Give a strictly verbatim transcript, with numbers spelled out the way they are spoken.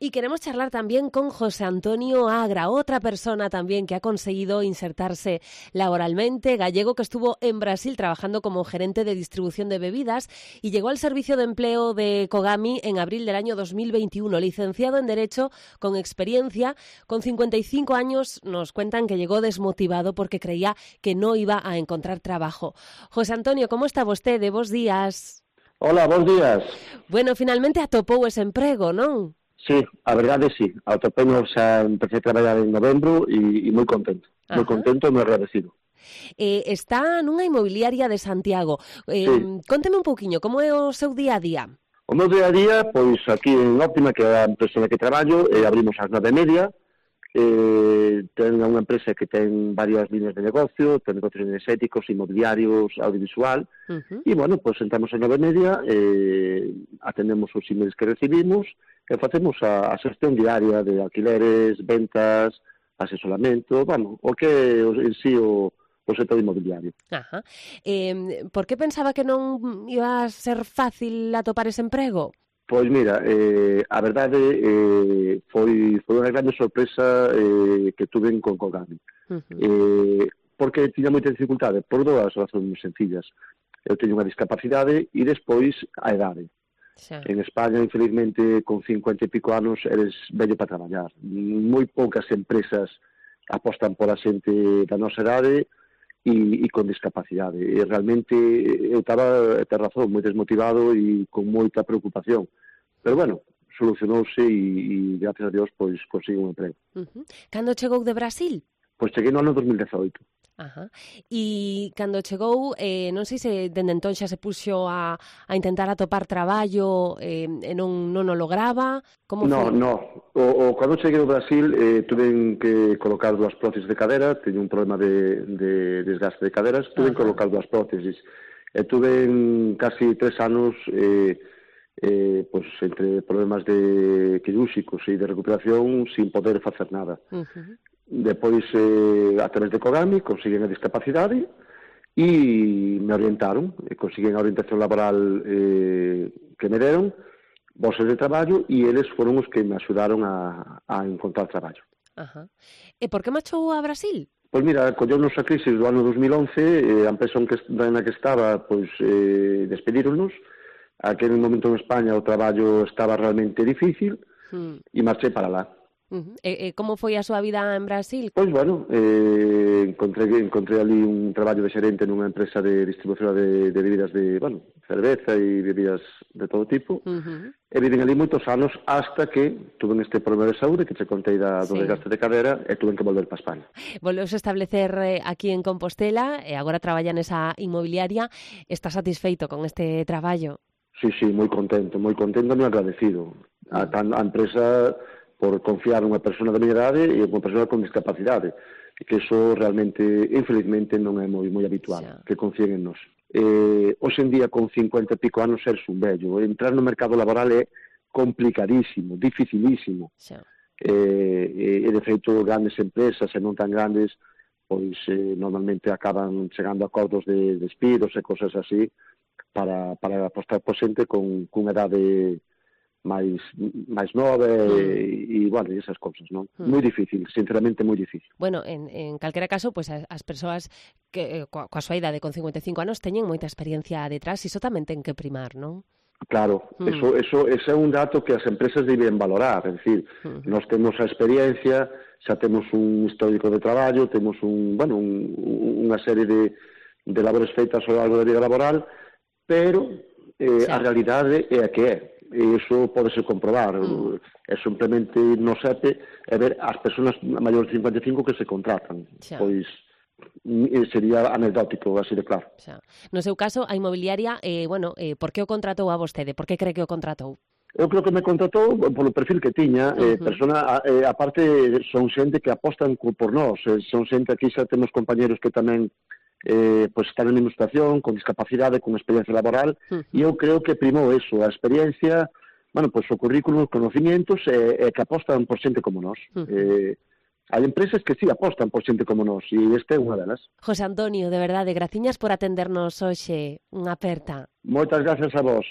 Y queremos charlar también con José Antonio Agra, otra persona también que ha conseguido insertarse laboralmente, gallego que estuvo en Brasil trabajando como gerente de distribución de bebidas y llegó al servicio de empleo de Kogami en abril del año dos mil veintiuno, licenciado en Derecho con experiencia. Con cincuenta y cinco años nos cuentan que llegó desmotivado porque creía que no iba a encontrar trabajo. José Antonio, ¿cómo está vostede? Bos días. Hola, bons días. Bueno, finalmente atopou ese emprego, non? Sí, a verdade sí. Atopemos, xa empecé a traballar en novembro e, e moi contento. Moi contento e moi agradecido. Eh, está nunha inmobiliaria de Santiago. Eh, sí. Conteme un pouquiño, como é o seu día a día? O meu día a día, pois aquí en Óptima, que é a empresa na que traballo, eh, abrimos ás nove e media, eh, ten unha empresa que ten varias líneas de negocio, ten negocios enerxéticos, inmobiliarios, audiovisual, uh-huh. e, bueno, pois sentamos a nove e media, eh, atendemos os emails que recibimos, e facemos a, a xestión diaria de alquileres, ventas, asesoramento, vamos, o que en sí o, o sector inmobiliario. Ajá. Eh, por que pensaba que non iba a ser fácil atopar ese emprego? Pois mira, eh, a verdade eh, foi, foi unha grande sorpresa eh, que tuve con Kogami. Uh-huh. Eh, porque tiña moita dificultade, por dúas razóns moi sencillas. Eu teño unha discapacidade e despois a idade. Xa. En España, infelizmente, con cincuenta e pico anos, eres vello para traballar. Moi poucas empresas apostan por a xente da nosa idade e, e con discapacidade. E realmente eu estaba, ter razón, moi desmotivado e con moita preocupación. Pero bueno, solucionouse e, e gracias a Dios, pois, consigo un emprego. Uh-huh. Cando chegou de Brasil? Pois cheguei no ano dos mil dezoito. Ajá. E cando chegou, eh, non sei se dende entón xa se puxo a, a intentar atopar traballo eh, e non, non o lograba. Como no, foi? no. O, o, cando cheguei ao Brasil eh, tuve que colocar dúas prótesis de cadera, teño un problema de, de desgaste de caderas, tuve que colocar dúas prótesis. E tuve en casi tres anos eh, eh, pues, entre problemas de quirúrxicos e de recuperación sin poder facer nada. Uh-huh. Depois, eh, a través de Kogami, consiguen a discapacidade e me orientaron, e consiguen a orientación laboral eh, que me deron, bolsas de traballo, e eles foron os que me axudaron a, a encontrar traballo. Ajá. E por que marchou a Brasil? Pois mira, colleunos a crisis do ano dos mil once, eh, a empresa na que estaba, pois, eh, despedíronos. Aquel momento en España o traballo estaba realmente difícil, hmm. e marchei para lá. Uh-huh. E, e como foi a súa vida en Brasil? Pois, bueno, eh, encontrei, encontrei ali un traballo de xerente nunha empresa de distribución de, de bebidas de, bueno, cerveza e bebidas de todo tipo. Uh-huh. E viven ali moitos anos hasta que tuve este problema de saúde que te contei da, do sí. desgaste de cadera e tuve que volver para España. Volveuse a establecer eh, aquí en Compostela e agora traballa nesa inmobiliaria. Está satisfeito con este traballo? Sí, sí, moi contento, moi contento e moi agradecido. Uh-huh. A, a empresa por confiar nunha persona da miña idade e unha persona con discapacidade, que iso realmente, infelizmente, non é moi moi habitual, xa. Que confíen en nós. Eh, hoxe en día, con cincuenta e pico anos, ser un vello. Entrar no mercado laboral é complicadísimo, dificilísimo. Eh, e, de feito, grandes empresas, e non tan grandes, pois eh, normalmente acaban chegando a acordos de despidos e cosas así para, para apostar por xente con, con idade máis máis nova e, mm. e, bueno, e esas cousas, non? Mm. Moi difícil, sinceramente moi difícil. Bueno, en, en calquera caso, pues, as, as persoas que coa, coa súa idade con cincuenta e cinco anos teñen moita experiencia detrás, iso tamén ten que primar, non? Claro, mm. eso, eso, eso é un dato que as empresas deben valorar, é dicir, mm. nós temos a experiencia, xa temos un histórico de traballo, temos un, bueno, un, unha serie de, de labores feitas ao largo da vida laboral, pero eh, sí. a realidade é a que é. E iso podese comprobar. Mm. É simplemente no SEPE é ver as persoas maiores de cincuenta e cinco que se contratan. Xa. Pois sería anecdótico, así de claro. Xa. No seu caso, a inmobiliaria, eh, bueno, eh, por que o contratou a vostede? Por que cree que o contratou? Eu creo que me contratou polo perfil que tiña. Uh-huh. eh, persona, eh, aparte, son xente que apostan por nós. Eh, son xente, aquí xa temos compañeros que tamén eh, pues están en administración, con discapacidade, con experiencia laboral, uh-huh. e eu creo que primou eso, a experiencia, bueno, pues o currículum, os conocimientos, e eh, eh, que apostan por xente como nós. Uh-huh. Eh, hai empresas que sí apostan por xente como nós, e esta é unha delas. José Antonio, de verdade, graciñas por atendernos hoxe. Unha aperta. Moitas gracias a vos.